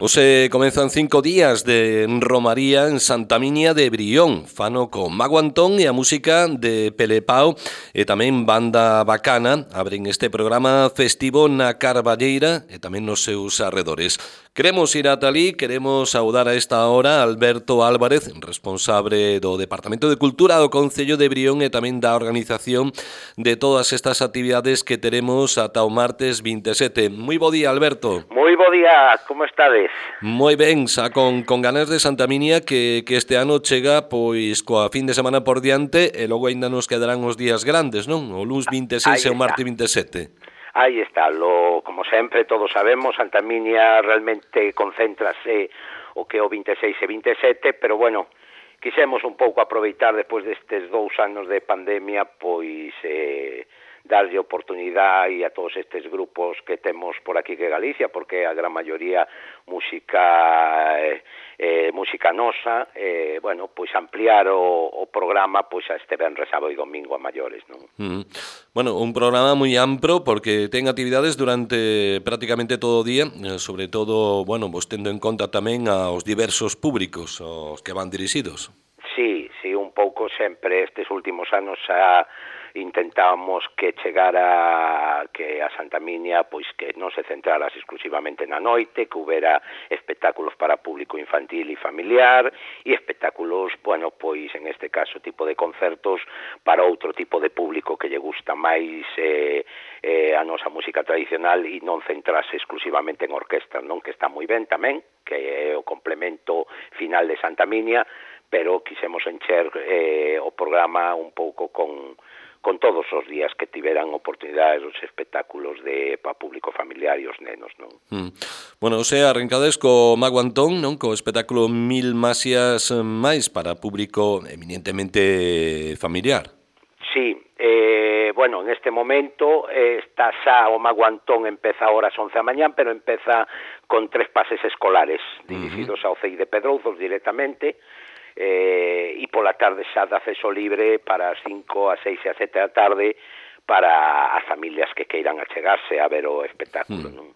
Hoxe comezan 5 días de romaría en Santa Miña de Brión. Fano con Mago Antón e a música de Pelepao e tamén Banda Bacana. Abren este programa festivo na Carballeira e tamén nos seus arredores. Queremos ir ata ali, queremos saudar a esta hora a Alberto Álvarez, responsable do Departamento de Cultura do Concello de Brión e tamén da organización de todas estas actividades que teremos ata o martes 27. Moi bo día, Alberto. Moi bo día, como estades? Moi ben, xa con ganas de Santa Miña que este ano chega pois coa fin de semana por diante e logo aínda nos quedarán os días grandes, non? O luns 26 e o martes 27. Aí está, como sempre todos sabemos, Santa Miña realmente concéntrase o que o 26 e 27, pero bueno, quixemos un pouco aproveitar despois destes 2 anos de pandemia, pois darlle oportunidade a todos estes grupos que temos por aquí que Galicia, porque a gran maioría música nosa, bueno, pois ampliar o programa pois a este venres, sábado e domingo a maiores, non? Bueno, un programa moi amplo porque ten actividades durante prácticamente todo o día, sobre todo, bueno, vos tendo en conta tamén aos diversos públicos aos que van dirixidos. Sí, un pouco sempre estes últimos anos intentábamos que chegara que a Santa Miña pois que non se centraras exclusivamente na noite, que houbera espectáculos para público infantil e familiar e espectáculos, bueno, pois en este caso tipo de concertos para outro tipo de público que lle gusta máis a nosa música tradicional e non centrarse exclusivamente en orquestas, non, que está moi ben tamén, que é o complemento final de Santa Miña, pero quixemos encher o programa un pouco con todos os días que tiveran oportunidades os espectáculos para público familiar e os nenos, non? Bueno, o sea, arrancades co Mago Antón, non? Co espectáculo Mil Masias máis para público eminentemente familiar. Sí, bueno, en este momento está xa o Mago Antón, empeza ahora ás 11 da mañán, pero empeza con 3 pases escolares dirigidos ao CEI de Pedrouzos directamente, e pola tarde xa de acceso libre para as 5, as 6 e as 7 da tarde para as familias que queiran achegarse a ver o espectáculo, non?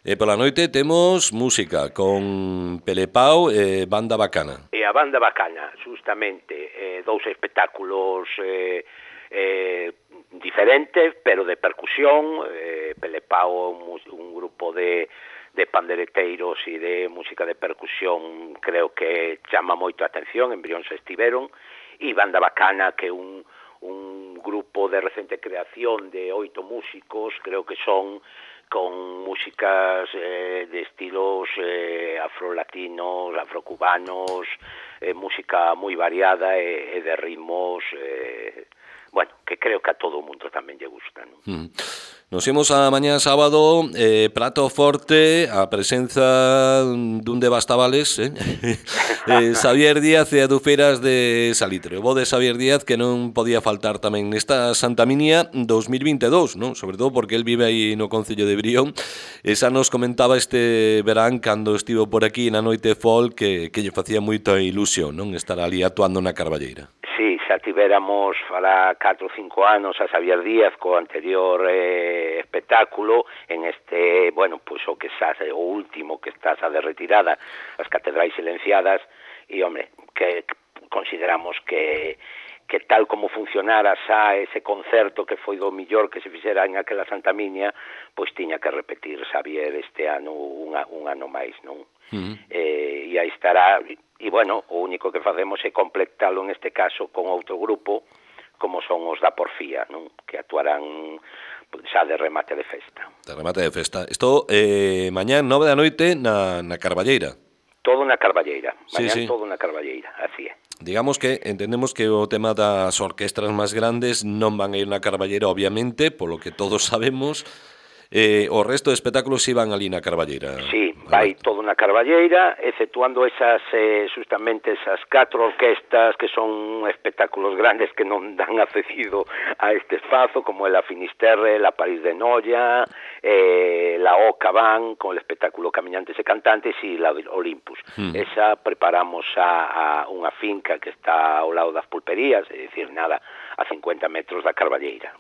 E pola noite temos música con Pelepao e Banda Bacana. E a Banda Bacana, justamente, 2 espectáculos diferentes, pero de percusión. Pelepao, un grupo de pandereteiros e de música de percusión, creo que chama moito a atención, en Brión se estiveron, e Banda Bacana, que é un grupo de recente creación de 8 músicos, creo que son con músicas de estilos afrolatinos, afrocubanos, música moi variada e de ritmos, bueno, que creo que a todo o mundo tamén lle gusta, non? Nos imos a mañá sábado, prato forte, a presenza dun de Bastavales, Xavier Díaz e Adufeiras de Salitre. O bo de Xavier Díaz que non podía faltar tamén nesta Santa Miña 2022, non? Sobre todo porque el vive aí no Concello de Brión. E xa nos comentaba este verán cando estivo por aquí na Noite Folk que lle facía moita ilusión, non? Estar ali actuando na Carballeira. Sí, xa tivéramos fará 4 ou 5 anos a Xavier Díaz co anterior espectáculo en este, bueno, pois o que xa o último que está xa de retirada, as Catedrais Silenciadas, e, hombre, que consideramos que tal como funcionara xa ese concerto que foi do millor que se fixera en aquela Santa Miña, pois tiña que repetir Xavier este ano un ano máis, non? E aí estará, e bueno, o único que facemos é completalo en este caso con outro grupo como son os da Porfía, non? Que actuarán xa de remate de festa. De remate de festa. Isto mañán 9 da noite na Carballeira. Todo na Carballeira, mañán sí. Todo na Carballeira, así é. Digamos que entendemos que o tema das orquestras máis grandes non van a ir na Carballeira, obviamente, polo que todos sabemos. O resto de espectáculos iban ali na Carballeira. Sí, vai todo na Carballeira, exceptuando justamente esas 4 orquestas que son espectáculos grandes que non dan accedido a este espazo, como la Finisterre, la París de Noia, la Oca Van, con el espectáculo Camiñantes e Cantantes, e la Olympus. Esa preparamos a unha finca que está ao lado das pulperías, é dicir, nada, a 50 metros da Carballeira.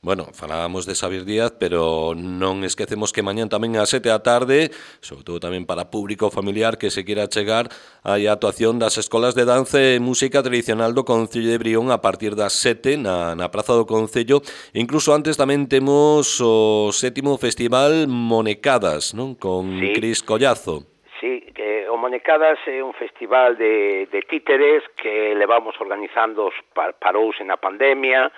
Bueno, falábamos de Xavier Díaz, pero non esquecemos que mañán tamén ás 7 da tarde, sobre todo tamén para público familiar que se queira chegar, hai a actuación das escolas de danza e música tradicional do Concello de Brión a partir das 7 na Praza do Concello. E incluso antes tamén temos o 7º Festival Monecadas, non? Con Sí. Cris Collazo. Sí, o Monecadas é un festival de títeres que levamos organizando, parouse na pandemia,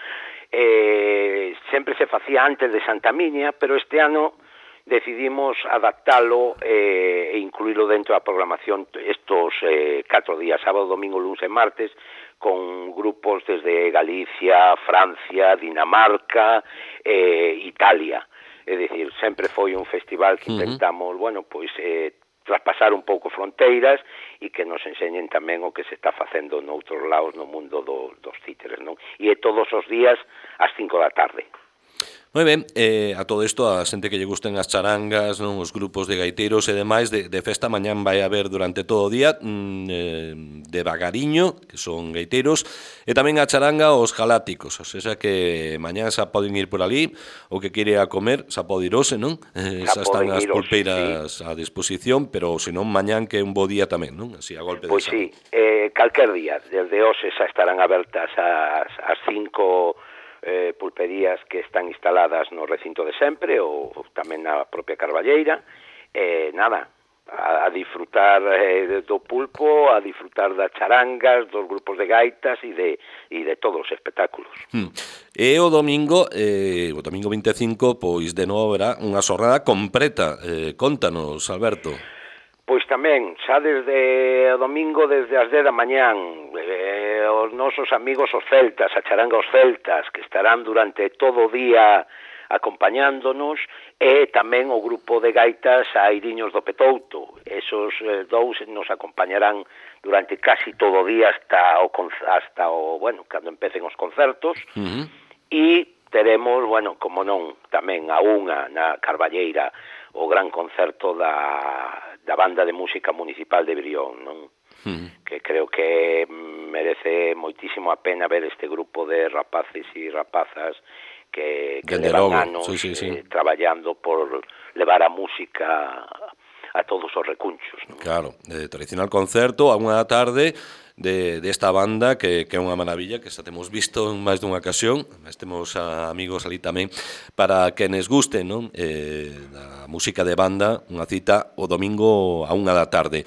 sempre se facía antes de Santa Miña, pero este ano decidimos adaptalo e incluílo dentro da programación estos 4 días, sábado, domingo, lunes e martes, con grupos desde Galicia, Francia, Dinamarca, Italia. É dicir, sempre foi un festival que intentamos, bueno, pois traspasar un pouco fronteiras e que nos enseñen tamén o que se está facendo noutros lados no mundo dos títeres, non? E é todos os días ás 5 da tarde. Moi ben, a todo isto, a xente que lle gusten as charangas, non, os grupos de gaiteiros e demais de festa, mañán vai haber durante todo o día de Vagariño, que son gaiteiros, e tamén a charanga os galácticos, o sea que mañán xa poden ir por ali, o que quere a comer, xa pode irose, non? Xa están as pulpeiras a disposición, pero senón mañán que é un bo día tamén, non? Así a golpe de Pois sí, calquer día, desde hoxe xa estarán abertas as 5 pulperías que están instaladas no recinto de sempre ou tamén na propia Carballeira, nada, a disfrutar do pulpo, a disfrutar das charangas, dos grupos de gaitas e de todos os espectáculos. E o domingo 25, pois de novo haberá unha xornada completa. Contanos, Alberto. Pois tamén, xa desde o domingo, desde as 10 da mañán, os nosos amigos os celtas, a charanga os celtas, que estarán durante todo o día acompañándonos, e tamén o grupo de gaitas Airiños do Petouto. Esos dous nos acompañarán durante casi todo o día hasta o bueno, cando empecen os concertos, e teremos, bueno, como non, tamén a unha na Carballeira, o gran concerto da Banda de Música Municipal de Brión, non? Que creo que merece moitísimo a pena ver este grupo de rapaces e rapazas que levan anos traballando por levar a música a todos os recunchos, non? Claro, tradicional concerto a unha da tarde desta banda que é unha maravilla, que xa temos visto en máis dunha ocasión, mas temos amigos ali tamén para quenes gusten, non? Da música de banda, unha cita o domingo a unha da tarde.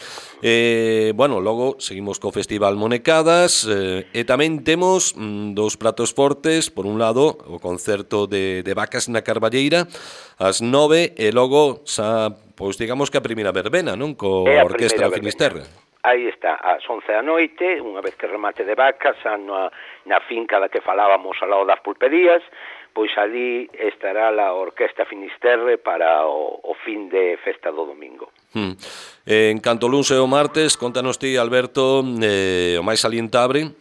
Bueno, logo seguimos co Festival Monecadas e tamén temos dos pratos fortes, por un lado o concerto de Vacas na Carballeira ás 9 e logo xa, pois digamos que a primeira verbena, non? Co Orquestra Finisterre. Aí está, ás 11 da noite, unha vez que remate de Vacas, na finca da que falábamos ao lado das pulperías, pois ali estará a Orquestra Finisterre para o fin de festa do domingo. En canto luns e o martes, contanos ti, Alberto, o máis salientable?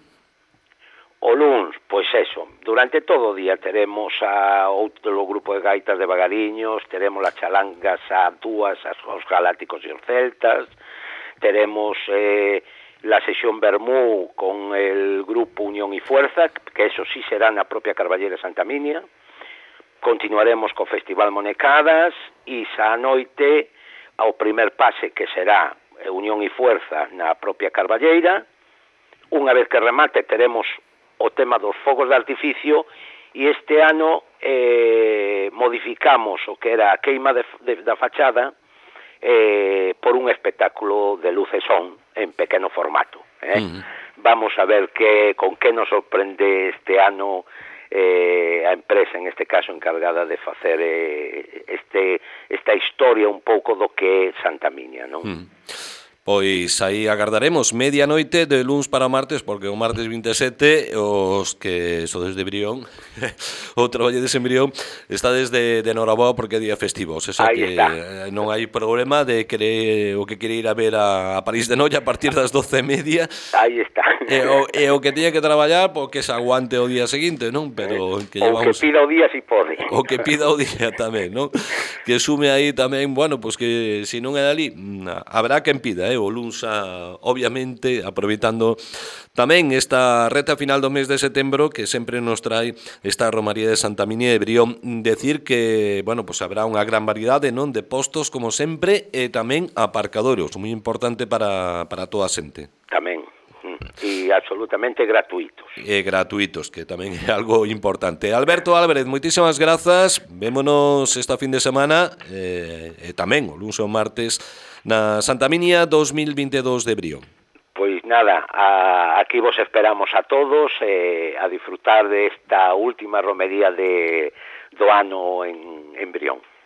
O luns, pois eso, durante todo o día teremos outro grupo de gaitas de Vagariños, teremos as chalangas a dúas, os galácticos e os celtas, teremos la sesión Bermú con el grupo Unión y Fuerza, que eso sí será na propia Carballera Santa Minia. Continuaremos co Festival Monecadas e xa a noite ao primer pase que será Unión y Fuerza na propia Carballeira. Unha vez que remate teremos o tema dos fogos de artificio e este ano modificamos o que era a queima da fachada por un espectáculo de luz e son en pequeno formato. Vamos a ver con que nos sorprende este ano a empresa, en este caso encargada de facer esta historia un pouco do que é Santa Miña, non? Pois aí agardaremos medianoite de luns para o martes, porque o martes 27 os que sodes de Brión ou traballedes en Brión está desde Noraboa porque é día festivo, o sea que non hai problema de o que quere ir a ver a París de Noia a partir das 12:30. Aí está. E o que teña que traballar porque se aguante o día seguinte, non? Pero que llevamos... O que pida o día si pode. O que pida o día tamén, non? Que sume aí tamén, bueno, pois que se non é dali habrá quen pida, o Lunsa, obviamente, aproveitando tamén esta reta final do mes de setembro que sempre nos trae esta Romaría de Santa Minia de Brión. Decir que, bueno, pues habrá unha gran variedade, non, de postos como sempre e tamén aparcadoros, moi importante para toda a xente. Tamén, e absolutamente gratuitos. E gratuitos, que tamén é algo importante. Alberto Álvarez, moitísimas grazas, vémonos esta fin de semana e tamén o luns e o martes na Santa Minia 2022 de Brión. Pois nada, aquí vos esperamos a todos a disfrutar desta última romería do ano en Brión.